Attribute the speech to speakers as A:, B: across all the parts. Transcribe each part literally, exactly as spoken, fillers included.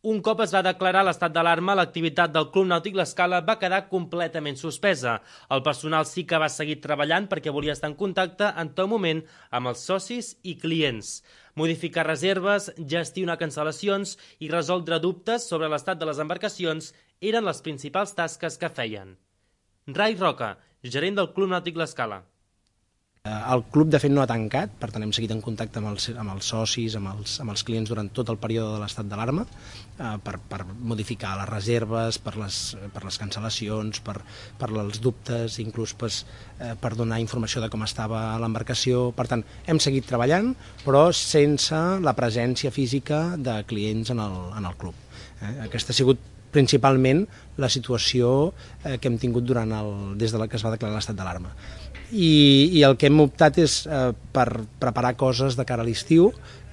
A: Un cop es va declarar l'estat d'alarma, l'activitat del Club Nàutic L'Escala va quedar completament suspesa. El personal sí que va seguir treballant perquè volia estar en contacte en tot moment amb els socis i clients. Modificar reserves, gestionar cancel·lacions i resoldre dubtes sobre l'estat de les embarcacions eren les principals tasques que feien. Rai Roca, gerent del Club Nàutic L'Escala.
B: El club, de fet, no ha tancat, per tant hem seguit en contacte amb els, amb els socis, amb els, amb els clients durant tot el període de l'estat d'alarma eh, per, per modificar les reserves, per les, per les cancel·lacions, per, per els dubtes, inclús pues, eh, per donar informació de com estava l'embarcació. Per tant, hem seguit treballant, però sense la presència física de clients en el, en el club. Eh? Aquesta ha sigut principalment la situació eh, que hem tingut durant el, des de la que es va declarar l'estat d'alarma. I, i el que hem optat és eh, per preparar coses de cara a l'estiu,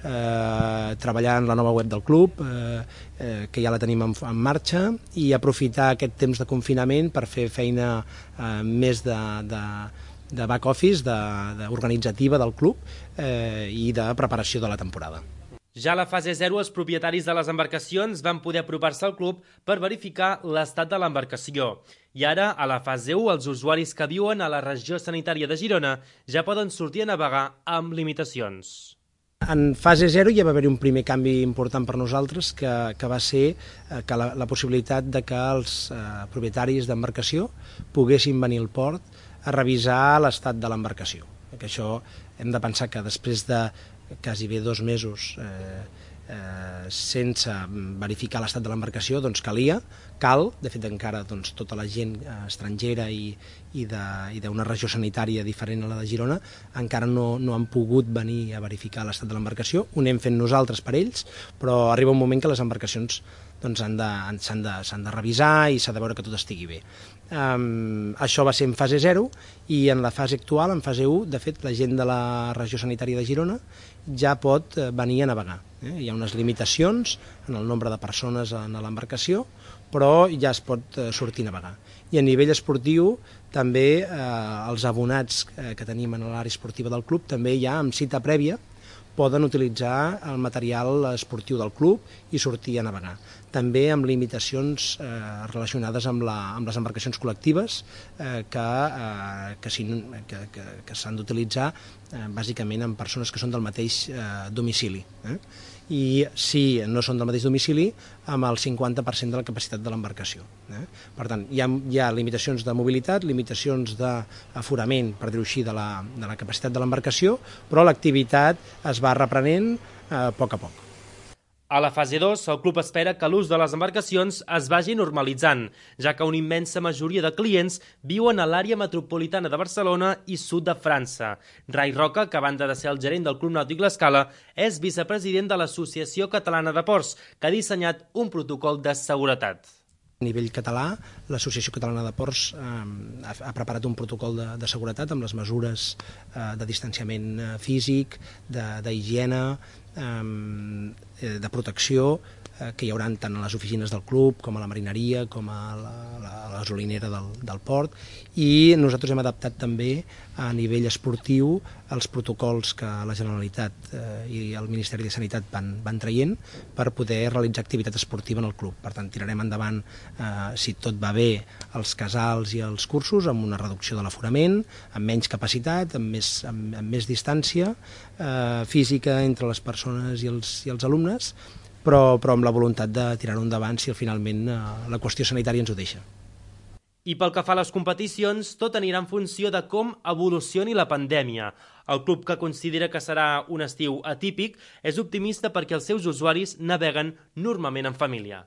B: eh, treballar en la nova web del club, eh, eh, que ja la tenim en, en marxa, i aprofitar aquest temps de confinament per fer feina eh, més de, de, de back office, de, de organitzativa del club eh, i de preparació de la temporada.
A: Ja a la fase zero, els propietaris de les embarcacions van poder apropar-se al club per verificar l'estat de l'embarcació. I ara, a la fase u, els usuaris que viuen a la regió sanitària de Girona ja poden sortir a navegar amb limitacions.
B: En fase zero ja va haver-hi un primer canvi important per nosaltres, que, que va ser que la, la possibilitat de que els eh, propietaris d'embarcació poguessin venir al port a revisar l'estat de l'embarcació. Que això hem de pensar que després de quasi bé dos mesos eh, eh, sense verificar l'estat de l'embarcació, doncs calia, cal, de fet encara doncs, tota la gent eh, estrangera i, i d'una regió sanitària diferent a la de Girona encara no, no han pogut venir a verificar l'estat de l'embarcació, ho anem fent nosaltres per ells, però arriba un moment que les embarcacions doncs, s'han de, s'han de, s'han de revisar i s'ha de veure que tot estigui bé. Um, això va ser en fase zero i en la fase actual, en fase u, de fet la gent de la regió sanitària de Girona ja pot venir a navegar. Eh? Hi ha unes limitacions en el nombre de persones en l'embarcació, però ja es pot sortir a navegar. I a nivell esportiu també eh, els abonats que tenim en l'àrea esportiva del club també ja amb cita prèvia poden utilitzar el material esportiu del club i sortir a navegar. També amb limitacions eh, relacionades amb, la, amb les embarcacions col·lectives eh, que, eh, que, si, que, que, que s'han d'utilitzar eh, bàsicament amb persones que són del mateix eh, domicili. Eh? I si no són del mateix domicili, amb el cinquanta per cent de la capacitat de l'embarcació. Eh? Per tant, hi ha, hi ha limitacions de mobilitat, limitacions d'aforament, per dir-ho així, de la, de la capacitat de l'embarcació, però l'activitat es va reprenent eh, a poc a poc.
A: A la fase dos, el club espera que l'ús de les embarcacions es vagi normalitzant, ja que una immensa majoria de clients viuen a l'àrea metropolitana de Barcelona i sud de França. Rai Roca, que a banda de ser el gerent del Club Nàutic L'Escala, és vicepresident de l'Associació Catalana de Ports, que ha dissenyat un protocol de seguretat.
B: A nivell català, l'Associació Catalana de Ports eh, ha, ha preparat un protocol de, de seguretat amb les mesures eh, de distanciament físic, d'higiene, eh, de protecció eh, que hi haurà tant a les oficines del club com a la marineria, com a la, la, la gasolinera del, del port, i nosaltres hem adaptat també a nivell esportiu els protocols que la Generalitat eh, i el Ministeri de Sanitat van, van traient per poder realitzar activitat esportiva en el club. Per tant, tirarem endavant, eh, si tot va bé, els casals i els cursos amb una reducció de l'aforament, amb menys capacitat, amb més, amb, amb més distància eh, física entre les persones i els, i els alumnes, però, però amb la voluntat de tirar-ho endavant si finalment eh, la qüestió sanitària ens ho deixa.
A: I pel que fa a les competicions, tot anirà en funció de com evolucioni la pandèmia. El club, que considera que serà un estiu atípic, és optimista perquè els seus usuaris naveguen normalment en família.